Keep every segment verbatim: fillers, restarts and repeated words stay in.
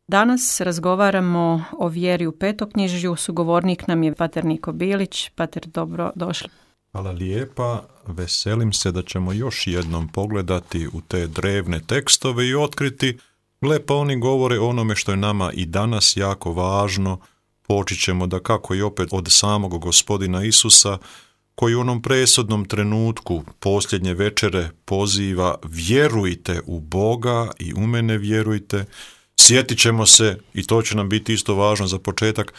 Danas razgovaramo o vjeri u petoknjižju. Sugovornik nam je pater Niko Bilić. Pater, dobro došli. Hvala lijepa. Veselim se da ćemo još jednom pogledati u te drevne tekstove i otkriti, gle, pa oni govore o onome što je nama i danas jako važno. Počet ćemo da kako i opet od samog Gospodina Isusa, koji u onom presudnom trenutku posljednje večere poziva: vjerujte u Boga i u mene vjerujte. Sjetit ćemo se, i to će nam biti isto važno za početak,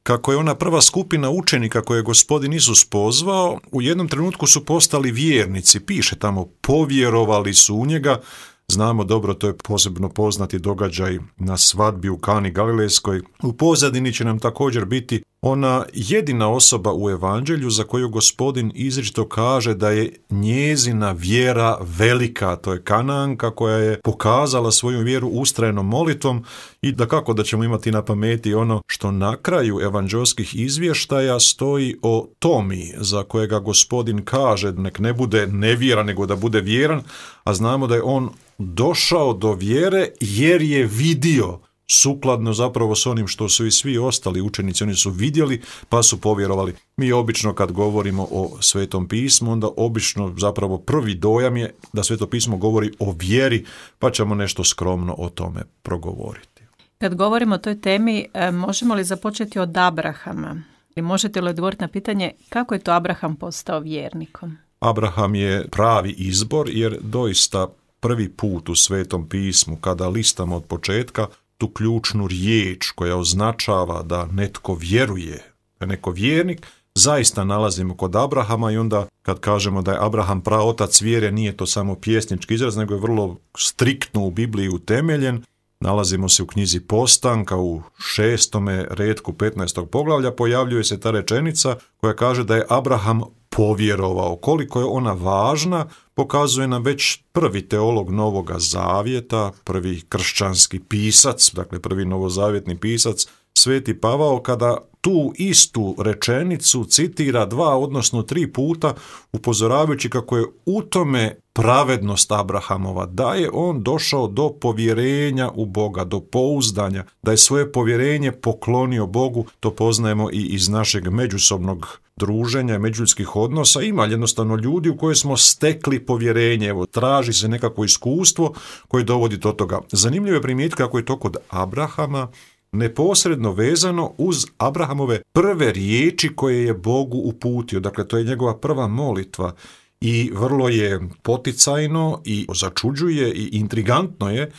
kako je ona prva skupina učenika koje je Gospodin Isus pozvao, u jednom trenutku su postali vjernici. Piše tamo, povjerovali su u njega. Znamo dobro, to je posebno poznati događaj na svadbi u Kani Galilejskoj. U pozadini će nam također biti ona jedina osoba u evanđelju za koju Gospodin izričito kaže da je njezina vjera velika. To je Kananka koja je pokazala svoju vjeru ustrajnom molitvom i da kako da ćemo imati na pameti ono što na kraju evanđelskih izvještaja stoji o Tomi, za kojega Gospodin kaže nek ne bude nevjeran nego da bude vjeran, a znamo da je on došao do vjere jer je vidio, sukladno zapravo s onim što su i svi ostali učenici, oni su vidjeli pa su povjerovali. Mi obično kad govorimo o Svetom pismu, onda obično zapravo prvi dojam je da Sveto pismo govori o vjeri, pa ćemo nešto skromno o tome progovoriti. Kad govorimo o toj temi, možemo li započeti od Abrahama? I možete li odgovoriti na pitanje kako je to Abraham postao vjernikom? Abraham je pravi izbor jer doista prvi put u Svetom pismu, kada listamo od početka tu ključnu riječ koja označava da netko vjeruje, da je neko vjernik, zaista nalazimo kod Abrahama. I onda kad kažemo da je Abraham praotac vjere, nije to samo pjesnički izraz, nego je vrlo striktno u Bibliji utemeljen. Nalazimo se u knjizi Postanka u šestome retku petnaestog poglavlja, pojavljuje se ta rečenica koja kaže da je Abraham povjerovao. Koliko je ona važna pokazuje nam već prvi teolog Novoga Zavjeta, prvi kršćanski pisac, dakle prvi novozavjetni pisac, Sveti Pavao, kada tu istu rečenicu citira dva, odnosno tri puta, upozoravajući kako je u tome pravednost Abrahamova, da je on došao do povjerenja u Boga, do pouzdanja, da je svoje povjerenje poklonio Bogu. To poznajemo i iz našeg međusobnog druženja, međuljudskih odnosa. Ima jednostavno ljudi u koje smo stekli povjerenje, evo, traži se nekako iskustvo koje dovodi do toga. Zanimljivo je primijetiti kako je to kod Abrahama neposredno vezano uz Abrahamove prve riječi koje je Bogu uputio. Dakle, to je njegova prva molitva i vrlo je poticajno i začuđuje i intrigantno je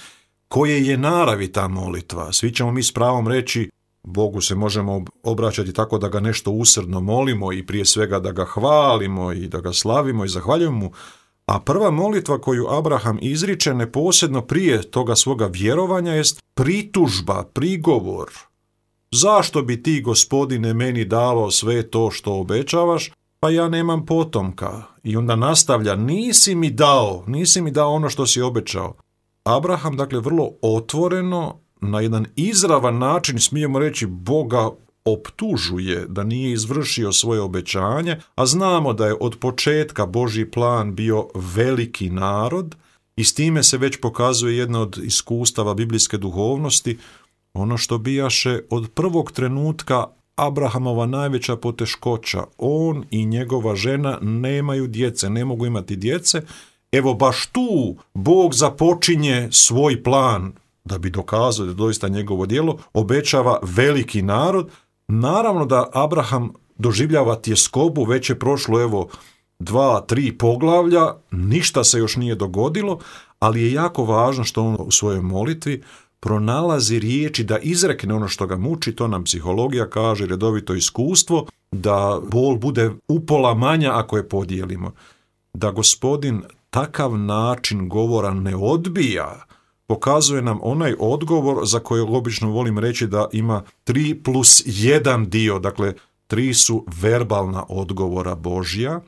koje je naravi ta molitva. Svi ćemo mi s pravom reći Bogu se možemo obraćati tako da ga nešto usrdno molimo i prije svega da ga hvalimo i da ga slavimo i zahvaljujemo mu. A prva molitva koju Abraham izriče neposredno prije toga svoga vjerovanja jest pritužba, prigovor. Zašto bi ti, Gospodine, meni davao sve to što obećavaš, pa ja nemam potomka? I onda nastavlja, nisi mi dao, nisi mi dao ono što si obećao. Abraham, dakle, vrlo otvoreno, na jedan izravan način, smijemo reći, Boga optužuje da nije izvršio svoje obećanje, a znamo da je od početka Božji plan bio veliki narod i s time se već pokazuje jedna od iskustava biblijske duhovnosti, ono što bijaše od prvog trenutka Abrahamova najveća poteškoća. On i njegova žena nemaju djece, ne mogu imati djece. Evo baš tu Bog započinje svoj plan da bi dokazao da je doista njegovo djelo, obećava veliki narod. Naravno da Abraham doživljava tjeskobu, već je prošlo evo dva, tri poglavlja, ništa se još nije dogodilo, ali je jako važno što on u svojoj molitvi pronalazi riječi da izrekne ono što ga muči. To nam psihologija kaže, redovito iskustvo, da bol bude upola manja ako je podijelimo. Da Gospodin takav način govora ne odbija, pokazuje nam onaj odgovor za koji obično volim reći da ima tri plus jedan dio, dakle tri su verbalna odgovora Božja.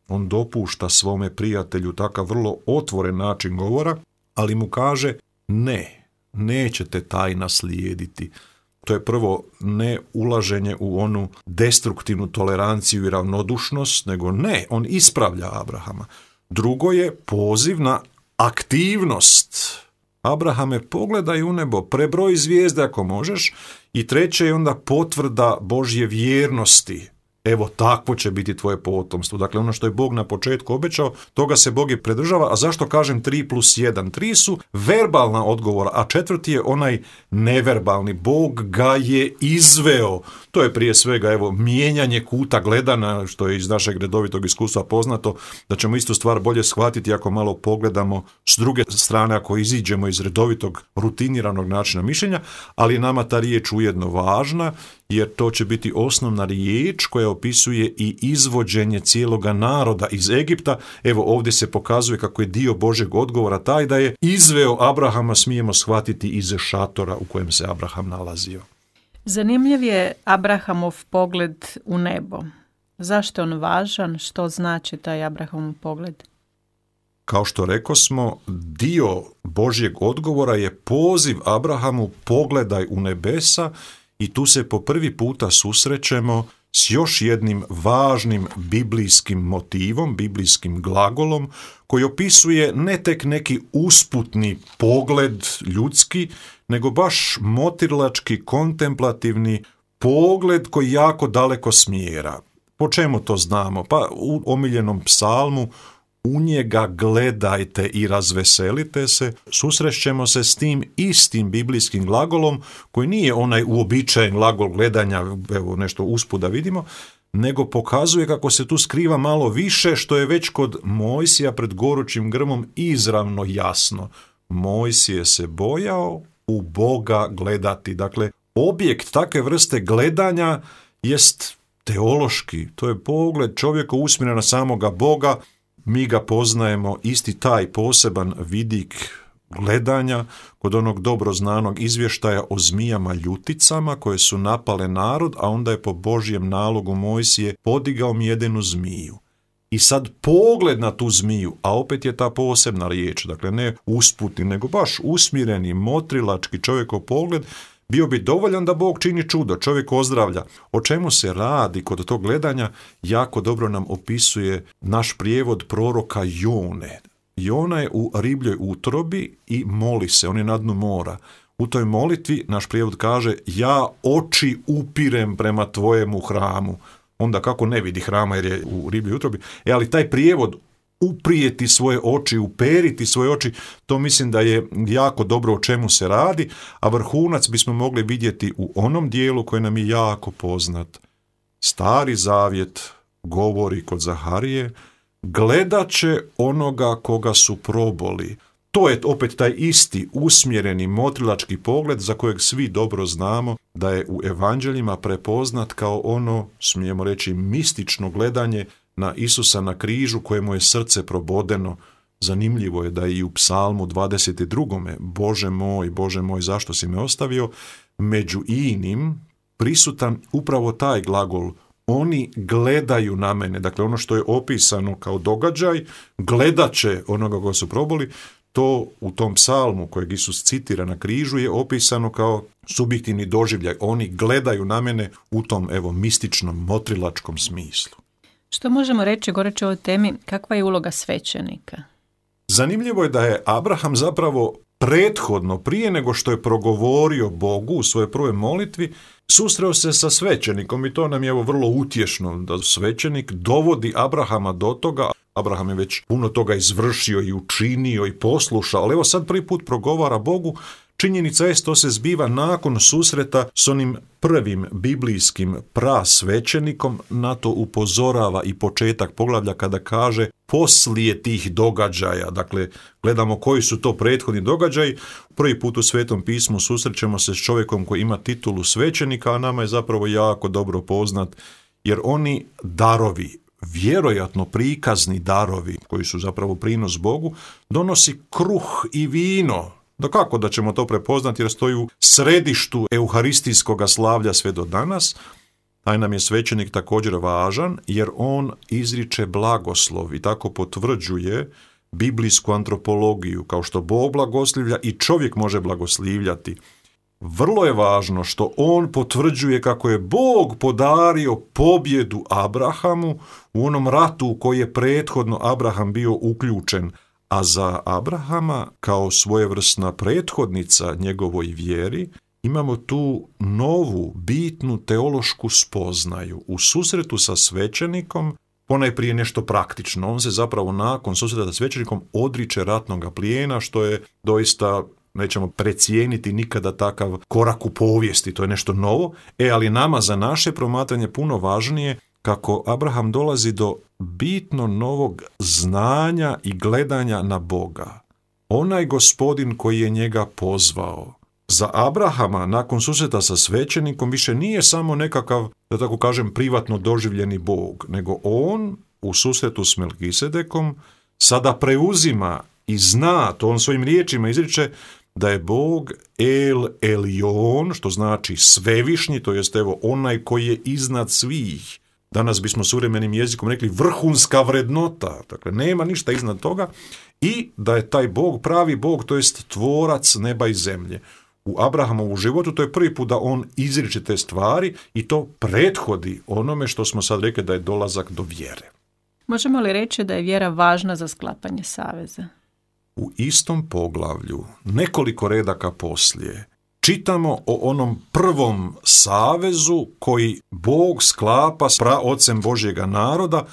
On dopušta svome prijatelju takav vrlo otvoren način govora, ali mu kaže ne, nećete taj naslijediti. To je prvo ne ulaženje u onu destruktivnu toleranciju i ravnodušnost, nego ne, on ispravlja Abrahama. Drugo je poziv na aktivnost. Abrahame, pogledaj u nebo, prebroj zvijezde ako možeš. I treće je onda potvrda Božje vjernosti. Evo, takvo će biti tvoje potomstvo. Dakle, ono što je Bog na početku obećao, toga se Bog i pridržava. A zašto kažem tri plus jedan? Tri su verbalna odgovora, a četvrti je onaj neverbalni. Bog ga je izveo. To je prije svega, evo, mijenjanje kuta gledana, što je iz našeg redovitog iskustva poznato, da ćemo istu stvar bolje shvatiti ako malo pogledamo s druge strane, ako iziđemo iz redovitog rutiniranog načina mišljenja, ali nama ta riječ ujedno važna, jer to će biti osnovna riječ koja opisuje i izvođenje cijeloga naroda iz Egipta. Evo, ovdje se pokazuje kako je dio Božeg odgovora taj da je izveo Abrahama, smijemo shvatiti, iz šatora u kojem se Abraham nalazio. Zanimljiv je Abrahamov pogled u nebo. Zašto je on važan? Što znači taj Abrahamov pogled? Kao što rekosmo, dio Božjeg odgovora je poziv Abrahamu, pogledaj u nebesa, i tu se po prvi puta susrećemo s još jednim važnim biblijskim motivom, biblijskim glagolom, koji opisuje ne tek neki usputni pogled ljudski, nego baš motrilački, kontemplativni pogled koji jako daleko smjera. Po čemu to znamo? Pa u omiljenom psalmu u njega gledajte i razveselite se, susrećemo se s tim istim biblijskim glagolom, koji nije onaj uobičajen glagol gledanja, evo nešto usput da vidimo, nego pokazuje kako se tu skriva malo više, što je već kod Mojsija pred gorućim grmom izravno jasno. Mojsije se bojao u Boga gledati. Dakle, objekt takve vrste gledanja jest teološki, to je pogled čovjeka usmjeren na samoga Boga. Mi ga poznajemo, isti taj poseban vidik gledanja kod onog dobro znanog izvještaja o zmijama ljuticama koje su napale narod, a onda je po Božjem nalogu Mojsije podigao mjedenu zmiju. I sad pogled na tu zmiju, a opet je ta posebna riječ, dakle ne usputni, nego baš usmjereni, motrilački čovjekov pogled, bio bi dovoljan da Bog čini čudo, čovjek ozdravlja. O čemu se radi kod tog gledanja, jako dobro nam opisuje naš prijevod proroka Jone. Jona je u ribljoj utrobi i moli se, on je na dnu mora. U toj molitvi naš prijevod kaže, ja oči upirem prema tvojemu hramu. Onda kako ne vidi hrama jer je u ribljoj utrobi. E, ali taj prijevod uprijeti svoje oči, uperiti svoje oči, to mislim da je jako dobro o čemu se radi, a vrhunac bismo mogli vidjeti u onom dijelu koji nam je jako poznat. Stari zavjet govori kod Zaharije, gledat će onoga koga su proboli. To je opet taj isti usmjereni motrilački pogled za kojeg svi dobro znamo da je u evanđeljima prepoznat kao ono, smijemo reći, mistično gledanje na Isusa na križu kojemu je srce probodeno. Zanimljivo je da je i u psalmu dvadeset drugom. Bože moj, Bože moj, zašto si me ostavio? Među inim prisutan upravo taj glagol. Oni gledaju na mene. Dakle, ono što je opisano kao događaj, gledat će onoga koga su proboli, to u tom psalmu kojeg Isus citira na križu je opisano kao subjektivni doživljaj. Oni gledaju na mene u tom, evo, mističnom, motrilačkom smislu. Što možemo reći, goreći o ovoj temi, kakva je uloga svećenika? Zanimljivo je da je Abraham zapravo prethodno, prije nego što je progovorio Bogu u svojoj prvoj molitvi, susreo se sa svećenikom i to nam je evo vrlo utješno da svećenik dovodi Abrahama do toga. Abraham je već puno toga izvršio i učinio i poslušao, ali evo sad prvi put progovara Bogu. Činjenica je to se zbiva nakon susreta s onim prvim biblijskim prasvećenikom, na to upozorava i početak poglavlja kada kaže poslije tih događaja. Dakle, gledamo koji su to prethodni događaji. Prvi put u Svetom pismu susrećemo se s čovjekom koji ima titulu svećenika, a nama je zapravo jako dobro poznat, jer oni darovi, vjerojatno prikazni darovi koji su zapravo prinos Bogu, donosi kruh i vino. Da kako da ćemo to prepoznati jer stoji u središtu euharistijskog slavlja sve do danas. Taj nam je svećenik također važan jer on izriče blagoslov i tako potvrđuje biblijsku antropologiju, kao što Bog blagoslivlja i čovjek može blagoslivljati. Vrlo je važno što on potvrđuje kako je Bog podario pobjedu Abrahamu u onom ratu u koji je prethodno Abraham bio uključen, A za Abrahama, kao svojevrsna prethodnica njegovoj vjeri, imamo tu novu, bitnu teološku spoznaju. U susretu sa svećenikom, ponajprije nešto praktično. On se zapravo nakon susreta sa svećenikom odriče ratnog plijena, što je doista, nećemo precijeniti nikada takav korak u povijesti, to je nešto novo. E, ali nama za naše promatranje puno važnije kako Abraham dolazi do bitno novog znanja i gledanja na Boga. Onaj Gospodin koji je njega pozvao. Za Abrahama, nakon susreta sa svećenikom, više nije samo nekakav, da tako kažem, privatno doživljeni Bog, nego on u susretu s Melkisedekom sada preuzima i zna, to on svojim riječima izriče, da je Bog El Elyon, što znači svevišnji, to jest evo onaj koji je iznad svih. Danas bismo suvremenim jezikom rekli vrhunska vrednota, dakle nema ništa iznad toga, i da je taj Bog pravi Bog, to jest tvorac neba i zemlje. U Abrahamovu životu to je prvi put da on izriče te stvari i to prethodi onome što smo sad rekli da je dolazak do vjere. Možemo li reći da je vjera važna za sklapanje saveza? U istom poglavlju, nekoliko redaka poslije, čitamo o onom prvom savezu koji Bog sklapa s praocem Božjega naroda.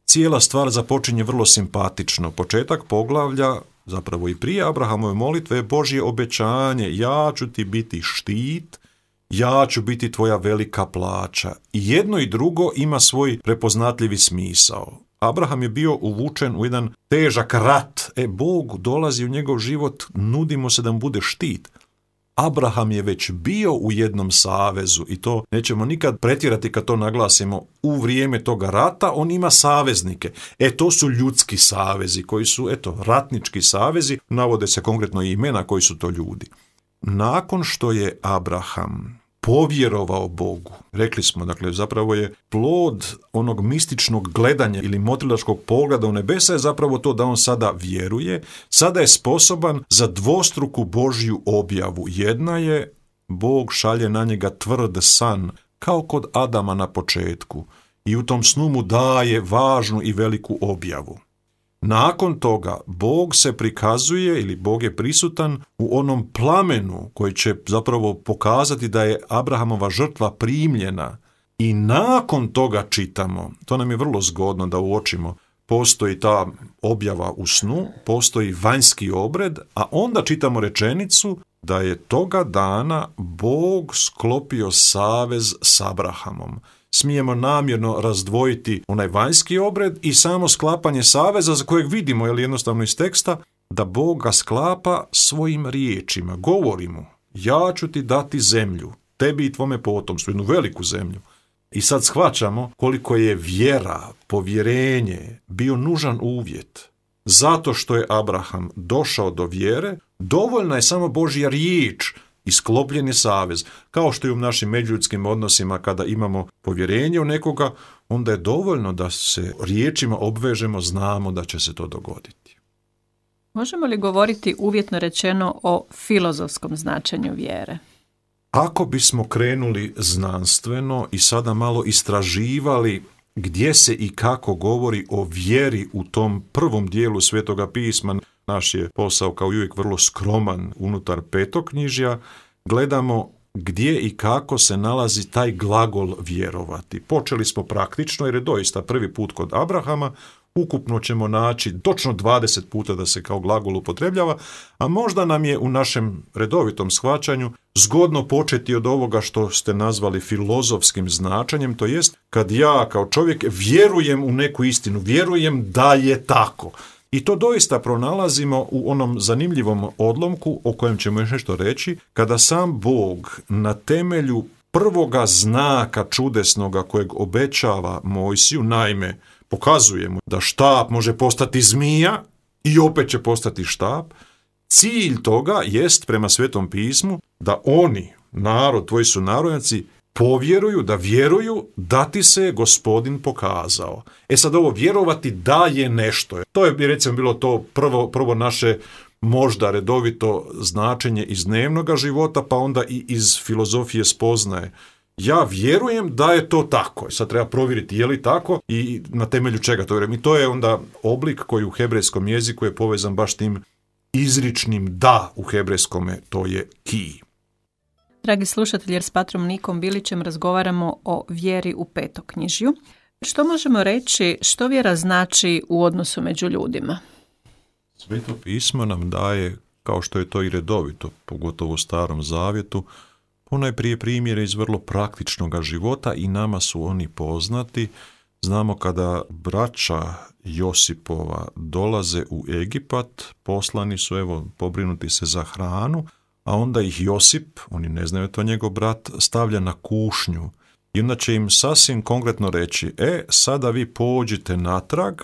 Cijela stvar započinje vrlo simpatično. Početak poglavlja, zapravo i prije Abrahamove molitve, je Božje obećanje: ja ću ti biti štit, ja ću biti tvoja velika plaća. I jedno i drugo ima svoj prepoznatljivi smisao. Abraham je bio uvučen u jedan težak rat. E, Bog dolazi u njegov život, nudi mu se da mu bude štit. Abraham je već bio u jednom savezu i to nećemo nikad pretjerati kad to naglasimo. U vrijeme toga rata on ima saveznike. E, to su ljudski savezi koji su, eto, ratnički savezi. Navode se konkretno i imena koji su to ljudi. Nakon što je Abraham povjerovao Bogu, rekli smo, dakle, zapravo je plod onog mističnog gledanja ili motrilačkog pogleda u nebesa je zapravo to da on sada vjeruje, sada je sposoban za dvostruku Božju objavu. Jedna je, Bog šalje na njega tvrd san, kao kod Adama na početku, i u tom snu mu daje važnu i veliku objavu. Nakon toga Bog se prikazuje ili Bog je prisutan u onom plamenu koji će zapravo pokazati da je Abrahamova žrtva primljena, i nakon toga čitamo, to nam je vrlo zgodno da uočimo, postoji ta objava u snu, postoji vanjski obred, a onda čitamo rečenicu da je toga dana Bog sklopio savez s Abrahamom. Smijemo namjerno razdvojiti onaj vanjski obred i samo sklapanje saveza za kojeg vidimo, je li jednostavno iz teksta, da Bog ga sklapa svojim riječima. Govori mu: ja ću ti dati zemlju, tebi i tvome potomstvu, jednu veliku zemlju. I sad shvaćamo koliko je vjera, povjerenje bio nužan uvjet. Zato što je Abraham došao do vjere, dovoljna je samo Božja riječ i sklopljen je savez. Kao što i u našim međuljudskim odnosima, kada imamo povjerenje u nekoga, onda je dovoljno da se riječima obvežemo, znamo da će se to dogoditi. Možemo li govoriti uvjetno rečeno o filozofskom značenju vjere? Ako bismo krenuli znanstveno i sada malo istraživali gdje se i kako govori o vjeri u tom prvom dijelu Svetoga pisma, naš je posao kao i uvijek vrlo skroman unutar petoknjižja, gledamo gdje i kako se nalazi taj glagol vjerovati. Počeli smo praktično jer je doista prvi put kod Abrahama, ukupno ćemo naći točno dvadeset puta da se kao glagol upotrebljava, a možda nam je u našem redovitom shvaćanju zgodno početi od ovoga što ste nazvali filozofskim značenjem, to jest kad ja kao čovjek vjerujem u neku istinu, vjerujem da je tako. I to doista pronalazimo u onom zanimljivom odlomku o kojem ćemo još nešto reći, kada sam Bog na temelju prvoga znaka čudesnoga kojeg obećava Mojsiju, naime, pokazuje mu da štap može postati zmija i opet će postati štap. Cilj toga jest, prema Svetom pismu, da oni, narod, tvoji su narodnjaci, povjeruju, da vjeruju da ti se Gospodin pokazao. E sad, ovo vjerovati da je nešto. To je, recimo, bilo to prvo, prvo naše možda redovito značenje iz dnevnog života, pa onda i iz filozofije spoznaje. Ja vjerujem da je to tako. Sad treba provjeriti je li tako i na temelju čega to vjerujem. I to je onda oblik koji u hebrejskom jeziku je povezan baš tim izričnim da u hebrejskome, to je ki. Dragi slušatelji, jer s patrom Nikom Bilićem razgovaramo o vjeri u petoknjižju. Što možemo reći, što vjera znači u odnosu među ljudima? Sveto pismo nam daje, kao što je to i redovito, pogotovo u Starom Zavjetu, ponajprije primjere iz vrlo praktičnog života i nama su oni poznati. Znamo kada braća Josipova dolaze u Egipat, poslani su, evo, pobrinuti se za hranu, a onda ih Josip, oni ne znaju to njegov brat, stavlja na kušnju. I onda će im sasvim konkretno reći, e, sada vi pođite natrag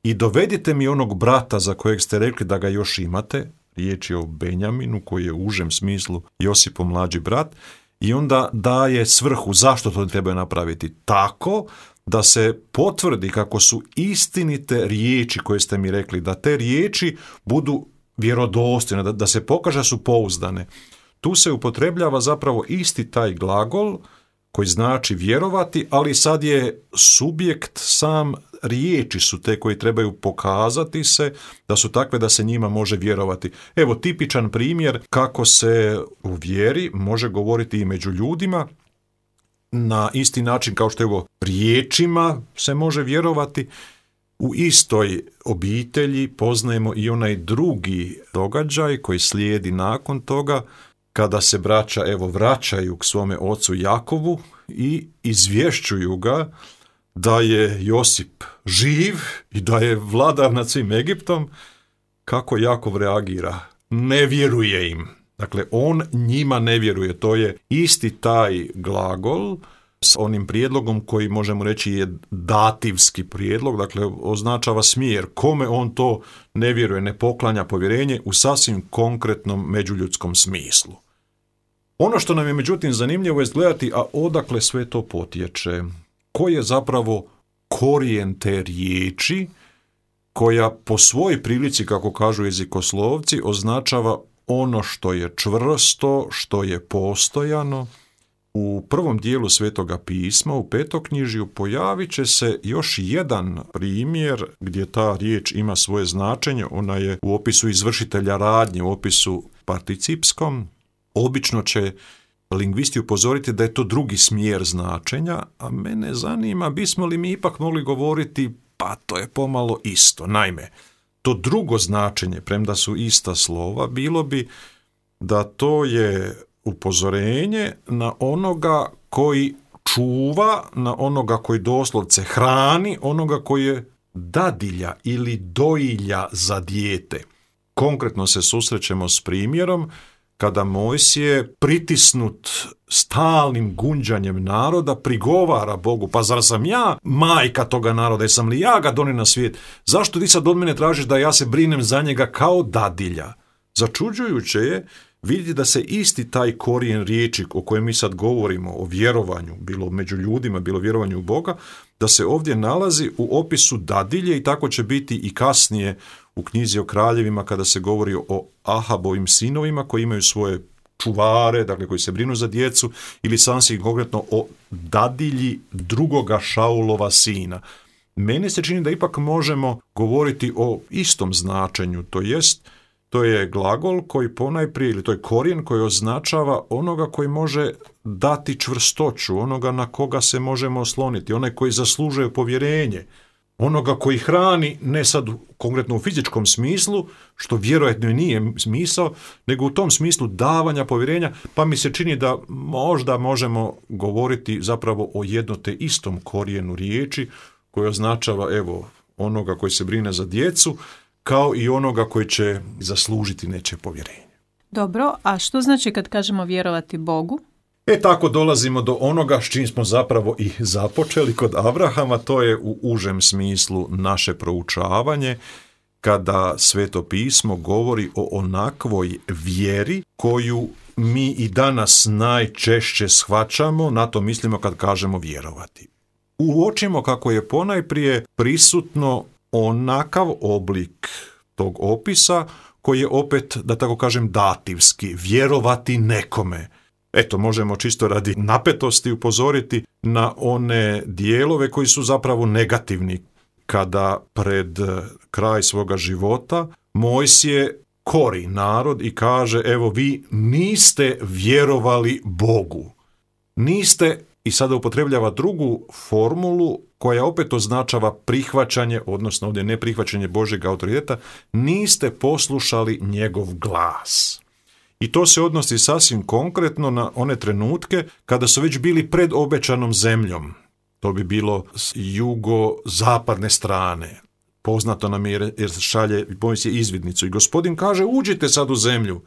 i dovedite mi onog brata za kojeg ste rekli da ga još imate, riječ je o Benjaminu koji je u užem smislu Josipov mlađi brat, i onda daje svrhu zašto to treba napraviti tako da se potvrdi kako su istinite riječi koje ste mi rekli, da te riječi budu vjerodostojne, da, da se pokaže da su pouzdane. Tu se upotrebljava zapravo isti taj glagol koji znači vjerovati, ali sad je subjekt sam, riječi su te koji trebaju pokazati se da su takve da se njima može vjerovati. Evo tipičan primjer kako se u vjeri može govoriti i među ljudima na isti način kao što je ovo riječima se može vjerovati. U istoj obitelji poznajemo i onaj drugi događaj koji slijedi nakon toga, kada se braća evo vraćaju k svome ocu Jakovu i izvješćuju ga da je Josip živ i da je vladar nad svim Egiptom. Kako Jakov reagira? Ne vjeruje im. Dakle, on njima ne vjeruje. To je isti taj glagol s onim prijedlogom koji možemo reći je dativski prijedlog, dakle označava smjer. Kome on to ne vjeruje, ne poklanja povjerenje u sasvim konkretnom međuljudskom smislu. Ono što nam je međutim zanimljivo je gledati, a odakle sve to potječe. Koji je zapravo korijen te riječi koja po svojoj prilici, kako kažu jezikoslovci, označava ono što je čvrsto, što je postojano. U prvom dijelu Svetoga pisma, u petoknjižju, pojavit će se još jedan primjer gdje ta riječ ima svoje značenje. Ona je u opisu izvršitelja radnje, u opisu participskom. Obično će lingvisti upozoriti da je to drugi smjer značenja, a mene zanima bismo li mi ipak mogli govoriti pa to je pomalo isto. Naime, to drugo značenje, premda su ista slova, bilo bi da to je upozorenje na onoga koji čuva, na onoga koji doslovce hrani, onoga koji je dadilja ili dojilja za dijete. Konkretno se susrećemo s primjerom kada Mojsije, pritisnut stalnim gunđanjem naroda, prigovara Bogu, pa zar sam ja majka toga naroda, jesam li ja ga donio na svijet? Zašto ti sad od mene tražiš da ja se brinem za njega kao dadilja? Začuđujuće je vidjeti da se isti taj korijen riječi o kojem mi sad govorimo, o vjerovanju, bilo među ljudima, bilo vjerovanju u Boga, da se ovdje nalazi u opisu dadilje i tako će biti i kasnije u knjizi o kraljevima kada se govori o Ahabovim sinovima koji imaju svoje čuvare, dakle koji se brinu za djecu, ili sasvim konkretno o dadilji drugoga Šaulova sina. Meni se čini da ipak možemo govoriti o istom značenju, to jest to je glagol koji ponajprije, ili to je korijen koji označava onoga koji može dati čvrstoću, onoga na koga se možemo osloniti, onaj koji zaslužuje povjerenje, onoga koji hrani, ne sad konkretno u fizičkom smislu, što vjerojatno i nije smisao, nego u tom smislu davanja povjerenja, pa mi se čini da možda možemo govoriti zapravo o jedno te istom korijenu riječi koji označava evo onoga koji se brine za djecu, kao i onoga koji će zaslužiti nečije povjerenje. Dobro, a što znači kad kažemo vjerovati Bogu? E tako dolazimo do onoga s čim smo zapravo i započeli kod Abrahama, to je u užem smislu naše proučavanje, kada Sveto pismo govori o onakvoj vjeri koju mi i danas najčešće shvaćamo, na to mislimo kad kažemo vjerovati. Uočimo kako je ponajprije prisutno onakav oblik tog opisa koji je opet, da tako kažem, dativski, vjerovati nekome. Eto, možemo čisto radi napetosti upozoriti na one dijelove koji su zapravo negativni, kada pred kraj svoga života Mojsije kori narod i kaže, evo vi niste vjerovali Bogu. Niste, i sada upotrebljava drugu formulu koja opet označava prihvaćanje, odnosno ovdje ne prihvaćanje Božjeg autoriteta, niste poslušali njegov glas. I to se odnosi sasvim konkretno na one trenutke kada su već bili pred obećanom zemljom. To bi bilo s jugozapadne strane. Poznato nam je jer šalje Mojsije izvidnicu i Gospodin kaže uđite sad u zemlju.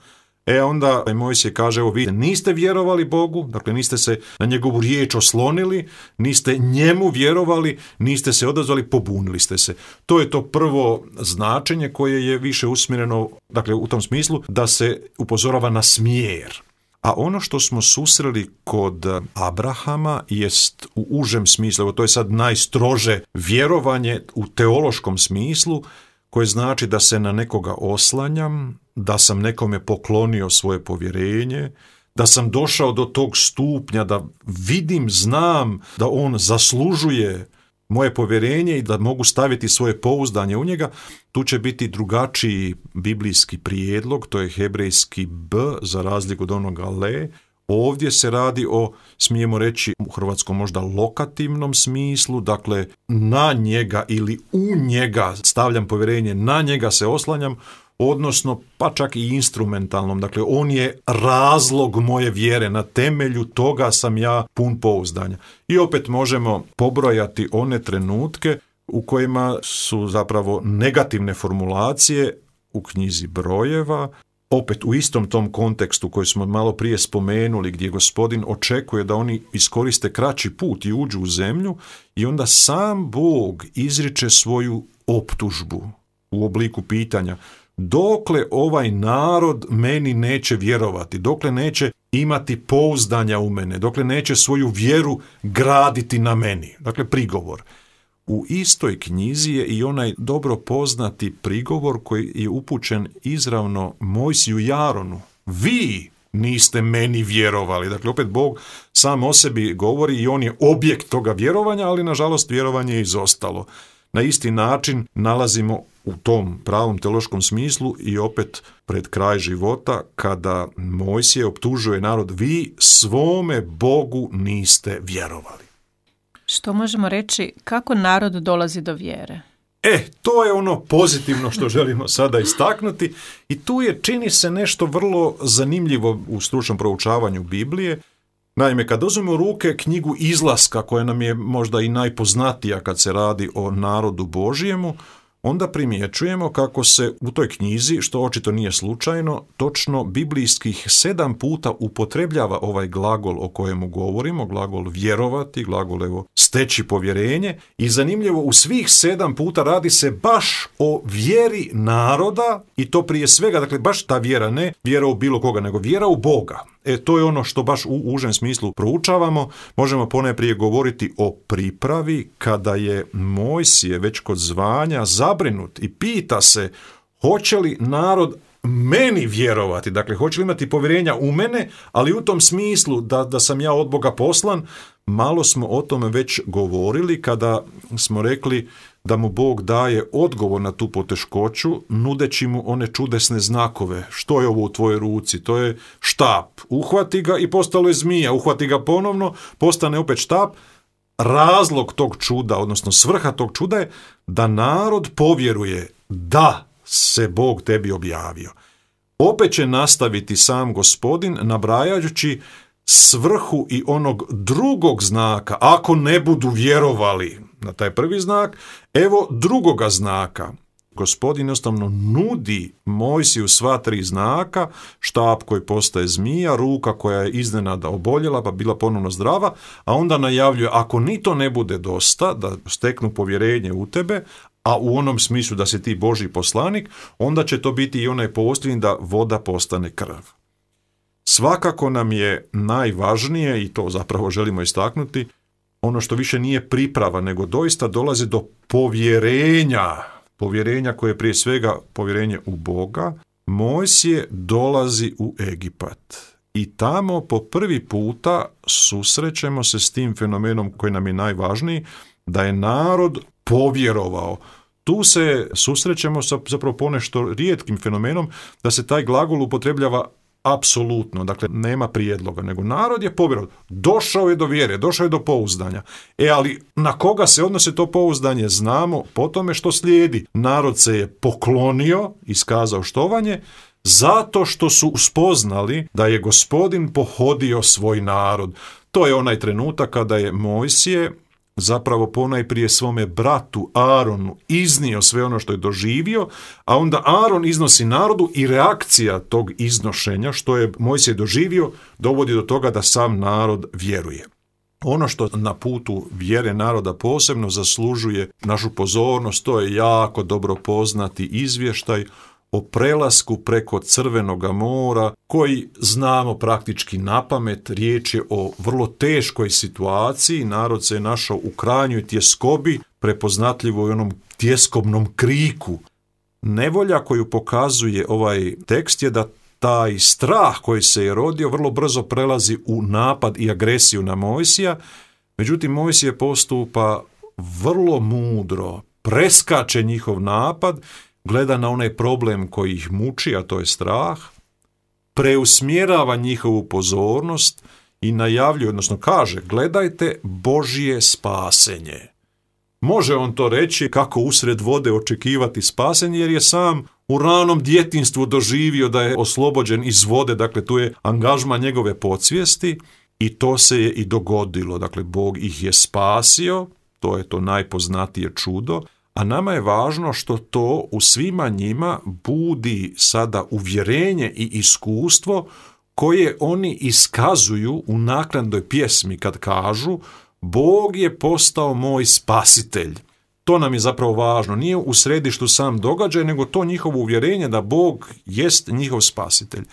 E onda Mojsije kaže, evo vi niste vjerovali Bogu, dakle niste se na njegovu riječ oslonili, niste njemu vjerovali, niste se odazvali, pobunili ste se. To je to prvo značenje koje je više usmjereno, dakle u tom smislu da se upozorava na smjer. A ono što smo susreli kod Abrahama jest u užem smislu, evo to je sad najstrože vjerovanje u teološkom smislu, koje znači da se na nekoga oslanjam, da sam nekome poklonio svoje povjerenje, da sam došao do tog stupnja da vidim, znam da on zaslužuje moje povjerenje i da mogu staviti svoje pouzdanje u njega. Tu će biti drugačiji biblijski prijedlog, to je hebrejski b za razliku od onoga le. Ovdje se radi o, smijemo reći u hrvatskom možda lokativnom smislu, dakle na njega ili u njega stavljam povjerenje, na njega se oslanjam, odnosno pa čak i instrumentalnom, dakle on je razlog moje vjere, na temelju toga sam ja pun pouzdanja. I opet možemo pobrojati one trenutke u kojima su zapravo negativne formulacije u knjizi Brojeva, opet u istom tom kontekstu koji smo malo prije spomenuli, gdje Gospodin očekuje da oni iskoriste kraći put i uđu u zemlju i onda sam Bog izriče svoju optužbu u obliku pitanja. Dokle ovaj narod meni neće vjerovati, dokle neće imati pouzdanja u mene, dokle neće svoju vjeru graditi na meni. Dakle, prigovor. U istoj knjizi je i onaj dobro poznati prigovor koji je upućen izravno Mojsiju i Aronu. Vi niste meni vjerovali. Dakle, opet Bog sam o sebi govori i on je objekt toga vjerovanja, ali nažalost vjerovanje je izostalo. Na isti način nalazimo u tom pravom teološkom smislu i opet pred kraj života kada Mojsije optužuje narod, vi svome Bogu niste vjerovali. Što možemo reći, kako narod dolazi do vjere? E, to je ono pozitivno što želimo sada istaknuti i tu je, čini se, nešto vrlo zanimljivo u stručnom proučavanju Biblije. Naime, kad uzmemo u ruke knjigu Izlaska, koja nam je možda i najpoznatija kad se radi o narodu Božjemu, onda primjećujemo kako se u toj knjizi, što očito nije slučajno, točno biblijskih sedam puta upotrebljava ovaj glagol o kojemu govorimo, glagol vjerovati, glagol evo steći povjerenje, i zanimljivo u svih sedam puta radi se baš o vjeri naroda i to prije svega, dakle baš ta vjera, ne vjera u bilo koga, nego vjera u Boga. E, to je ono što baš u užem smislu proučavamo. Možemo ponajprije govoriti o pripravi kada je Mojsije već kod zvanja zabrinut i pita se hoće li narod meni vjerovati, dakle hoće li imati povjerenja u mene, ali u tom smislu da, da sam ja od Boga poslan. Malo smo o tome već govorili kada smo rekli da mu Bog daje odgovor na tu poteškoću, nudeći mu one čudesne znakove. Što je ovo u tvojoj ruci? To je štap. Uhvati ga i postalo je zmija. Uhvati ga ponovno, postane opet štap. Razlog tog čuda, odnosno svrha tog čuda je da narod povjeruje da se Bog tebi objavio. Opet će nastaviti sam Gospodin nabrajajući svrhu i onog drugog znaka. Ako ne budu vjerovali na taj prvi znak, evo drugoga znaka. Gospodin jednostavno nudi Mojsiju sva tri znaka, štap koji postaje zmija, ruka koja je iznenada oboljela pa bila ponovno zdrava, a onda najavljuje ako ni to ne bude dosta, da steknu povjerenje u tebe, a u onom smislu da si ti Božji poslanik, onda će to biti i onaj posljednji da voda postane krv. Svakako nam je najvažnije, i to zapravo želimo istaknuti, ono što više nije priprava, nego doista dolazi do povjerenja, povjerenja koje je prije svega povjerenje u Boga. Mojsije dolazi u Egipat i tamo po prvi puta susrećemo se s tim fenomenom koji nam je najvažniji, da je narod povjerovao. Tu se susrećemo sa zapravo ponešto rijetkim fenomenom da se taj glagol upotrebljava apsolutno, dakle nema prijedloga, nego narod je povjerovao, došao je do vjere, došao je do pouzdanja. E, ali na koga se odnose to pouzdanje znamo po tome što slijedi. Narod se je poklonio, iskazao štovanje, zato što su spoznali da je Gospodin pohodio svoj narod. To je onaj trenutak kada je Mojsije zapravo ponajprije svome bratu Aronu iznio sve ono što je doživio, a onda Aron iznosi narodu i reakcija tog iznošenja što je Mojsije doživio dovodi do toga da sam narod vjeruje. Ono što na putu vjere naroda posebno zaslužuje našu pozornost, to je jako dobro poznati izvještaj o prelasku preko Crvenoga mora, koji znamo praktički napamet. Riječ je o vrlo teškoj situaciji, narod se je našao u krajnjoj tjeskobi, prepoznatljivo i onom tjeskobnom kriku. Nevolja koju pokazuje ovaj tekst je da taj strah koji se je rodio vrlo brzo prelazi u napad i agresiju na Mojsija, međutim Mojsije postupa vrlo mudro, preskače njihov napad, gleda na onaj problem koji ih muči, a to je strah, preusmjerava njihovu pozornost i najavljuje, odnosno kaže, gledajte Božje spasenje. Može on to reći kako usred vode očekivati spasenje, jer je sam u ranom djetinjstvu doživio da je oslobođen iz vode, dakle tu je angažman njegove podsvijesti i to se je i dogodilo. Dakle, Bog ih je spasio, to je to najpoznatije čudo, a nama je važno što to u svima njima budi sada uvjerenje i iskustvo koje oni iskazuju u naknadnoj pjesmi kad kažu Bog je postao moj spasitelj. To nam je zapravo važno. Nije u središtu sam događaj, nego to njihovo uvjerenje da Bog jest njihov spasitelj.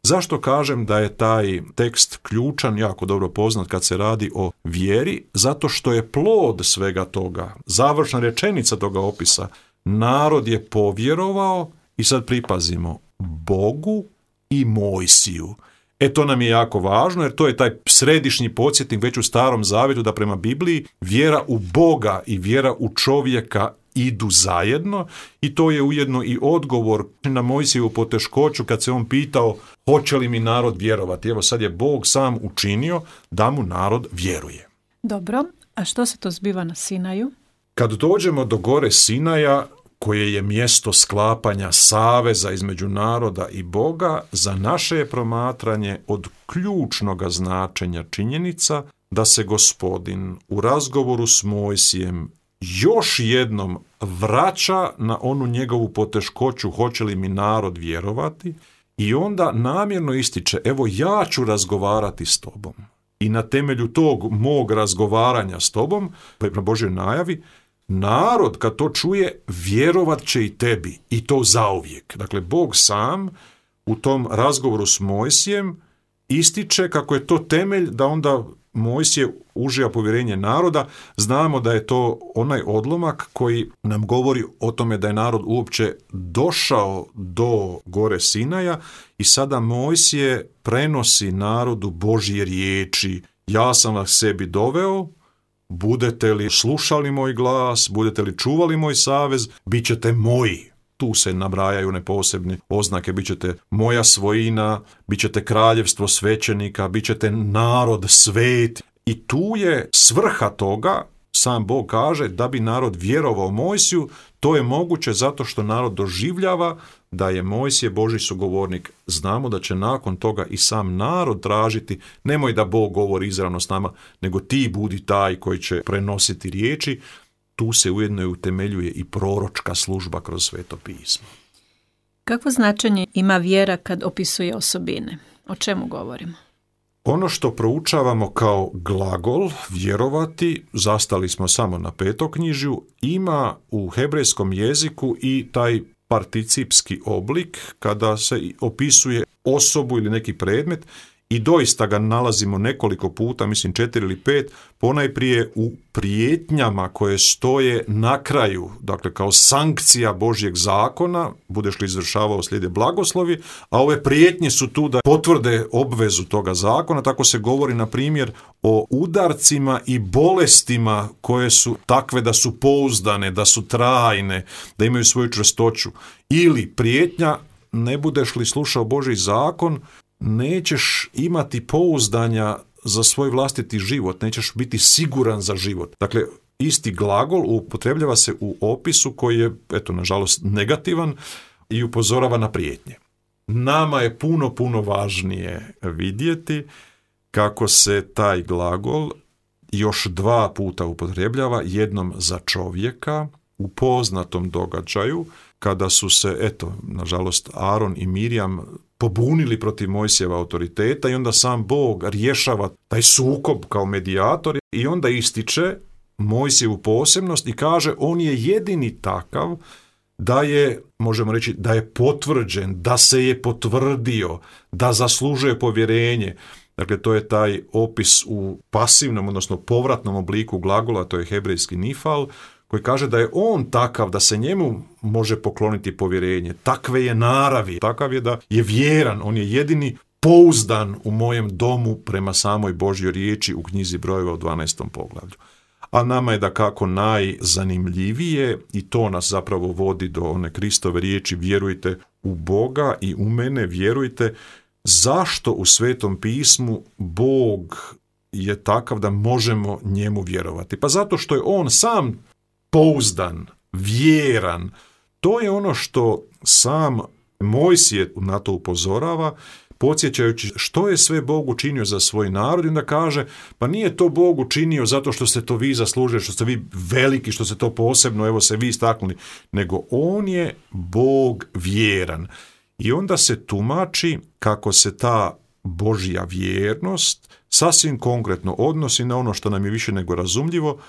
Zašto kažem da je taj tekst ključan, jako dobro poznat kad se radi o vjeri? Zato što je plod svega toga, završna rečenica toga opisa, narod je povjerovao i sad pripazimo, Bogu i Mojsiju. E to nam je jako važno jer to je taj središnji podsjetnik već u Starom Zavjetu da prema Bibliji vjera u Boga i vjera u čovjeka idu zajedno i to je ujedno i odgovor na Mojsijevu poteškoću kad se on pitao hoće li mi narod vjerovati. Evo sad je Bog sam učinio da mu narod vjeruje. Dobro, a što se to zbiva na Sinaju? Kad dođemo do gore Sinaja, koje je mjesto sklapanja saveza između naroda i Boga, za naše je promatranje od ključnoga značenja činjenica da se Gospodin u razgovoru s Mojsijem još jednom vraća na onu njegovu poteškoću hoće li mi narod vjerovati i onda namjerno ističe evo ja ću razgovarati s tobom. I na temelju tog mog razgovaranja s tobom, na Božjoj najavi, narod kad to čuje vjerovat će i tebi i to zauvijek. Dakle, Bog sam u tom razgovoru s Mojsijem ističe kako je to temelj da onda Mojsije uživa povjerenje naroda. Znamo da je to onaj odlomak koji nam govori o tome da je narod uopće došao do gore Sinaja i sada Mojsije prenosi narodu Božje riječi. Ja sam vas sebi doveo, budete li slušali moj glas, budete li čuvali moj savez, bit ćete moji. Tu se nabrajaju one posebne oznake, bit ćete moja svojina, bit ćete kraljevstvo svećenika, bit ćete narod svet. I tu je svrha toga, sam Bog kaže, da bi narod vjerovao Mojsiju, to je moguće zato što narod doživljava da je Mojsije Božji sugovornik. Znamo da će nakon toga i sam narod tražiti, nemoj da Bog govori izravno s nama, nego ti budi taj koji će prenositi riječi. Tu se ujedno i utemeljuje i proročka služba kroz Sveto pismo. Kakvo značenje ima vjera kad opisuje osobine? O čemu govorimo? Ono što proučavamo kao glagol, vjerovati, zastali smo samo na petoknjižju, ima u hebrejskom jeziku i taj participski oblik kada se opisuje osobu ili neki predmet i doista ga nalazimo nekoliko puta, mislim četiri ili pet, ponajprije u prijetnjama koje stoje na kraju, dakle kao sankcija Božjeg zakona, budeš li izvršavao slijede blagoslovi, a ove prijetnje su tu da potvrde obvezu toga zakona. Tako se govori na primjer o udarcima i bolestima koje su takve da su pouzdane, da su trajne, da imaju svoju čvrstoću. Ili prijetnja, ne budeš li slušao Božji zakon, nećeš imati pouzdanja za svoj vlastiti život, nećeš biti siguran za život. Dakle, isti glagol upotrebljava se u opisu koji je, eto, nažalost, negativan i upozorava na prijetnje. Nama je puno, puno važnije vidjeti kako se taj glagol još dva puta upotrebljava, jednom za čovjeka u poznatom događaju, kada su se, eto, nažalost, Aron i Mirjam pobunili protiv Mojsijeva autoriteta i onda sam Bog rješava taj sukob kao medijator i onda ističe Mojsijevu posebnost i kaže on je jedini takav da je, možemo reći, da je potvrđen, da se je potvrdio, da zaslužuje povjerenje. Dakle, to je taj opis u pasivnom, odnosno povratnom obliku glagola, to je hebrejski nifal, koji kaže da je on takav da se njemu može pokloniti povjerenje. Takve je naravi, takav je da je vjeran, on je jedini pouzdan u mojem domu prema samoj Božjoj riječi u knjizi brojeva u dvanaestom poglavlju. A nama je da kako najzanimljivije, i to nas zapravo vodi do one Kristove riječi, vjerujte u Boga i u mene, vjerujte, zašto u Svetom pismu Bog je takav da možemo njemu vjerovati. Pa zato što je on sam pouzdan, vjeran. To je ono što sam Mojsije na to upozorava, podsjećajući što je sve Bog učinio za svoj narod, i onda kaže, pa nije to Bog učinio zato što ste to vi zaslužili, što ste vi veliki, što ste to posebno, evo se vi istaknuli, nego on je Bog vjeran. I onda se tumači kako se ta Božja vjernost sasvim konkretno odnosi na ono što nam je više nego razumljivo,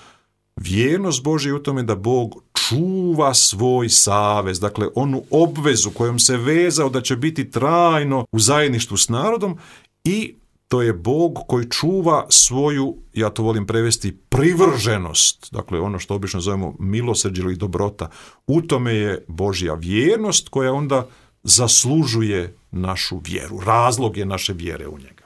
vjernost Božja u tome da Bog čuva svoj savez, dakle onu obvezu kojom se vezao da će biti trajno u zajedništvu s narodom, i to je Bog koji čuva svoju, ja to volim prevesti, privrženost, dakle ono što obično zovemo milosrđe ili dobrota. U tome je Božja vjernost koja onda zaslužuje našu vjeru, razlog je naše vjere u njega.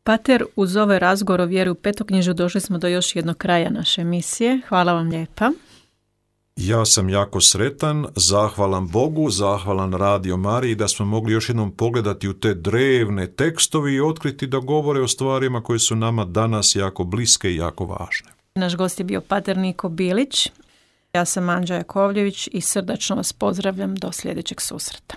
Pater, uz ovaj razgovor o vjeri u petoknjižju došli smo do još jednog kraja naše emisije. Hvala vam lijepa. Ja sam jako sretan, zahvalan Bogu, zahvalan Radio Mariji da smo mogli još jednom pogledati u te drevne tekstovi i otkriti da govore o stvarima koje su nama danas jako bliske i jako važne. Naš gost je bio pater Niko Bilić. Ja sam Anđa Jakovljević i srdačno vas pozdravljam do sljedećeg susreta.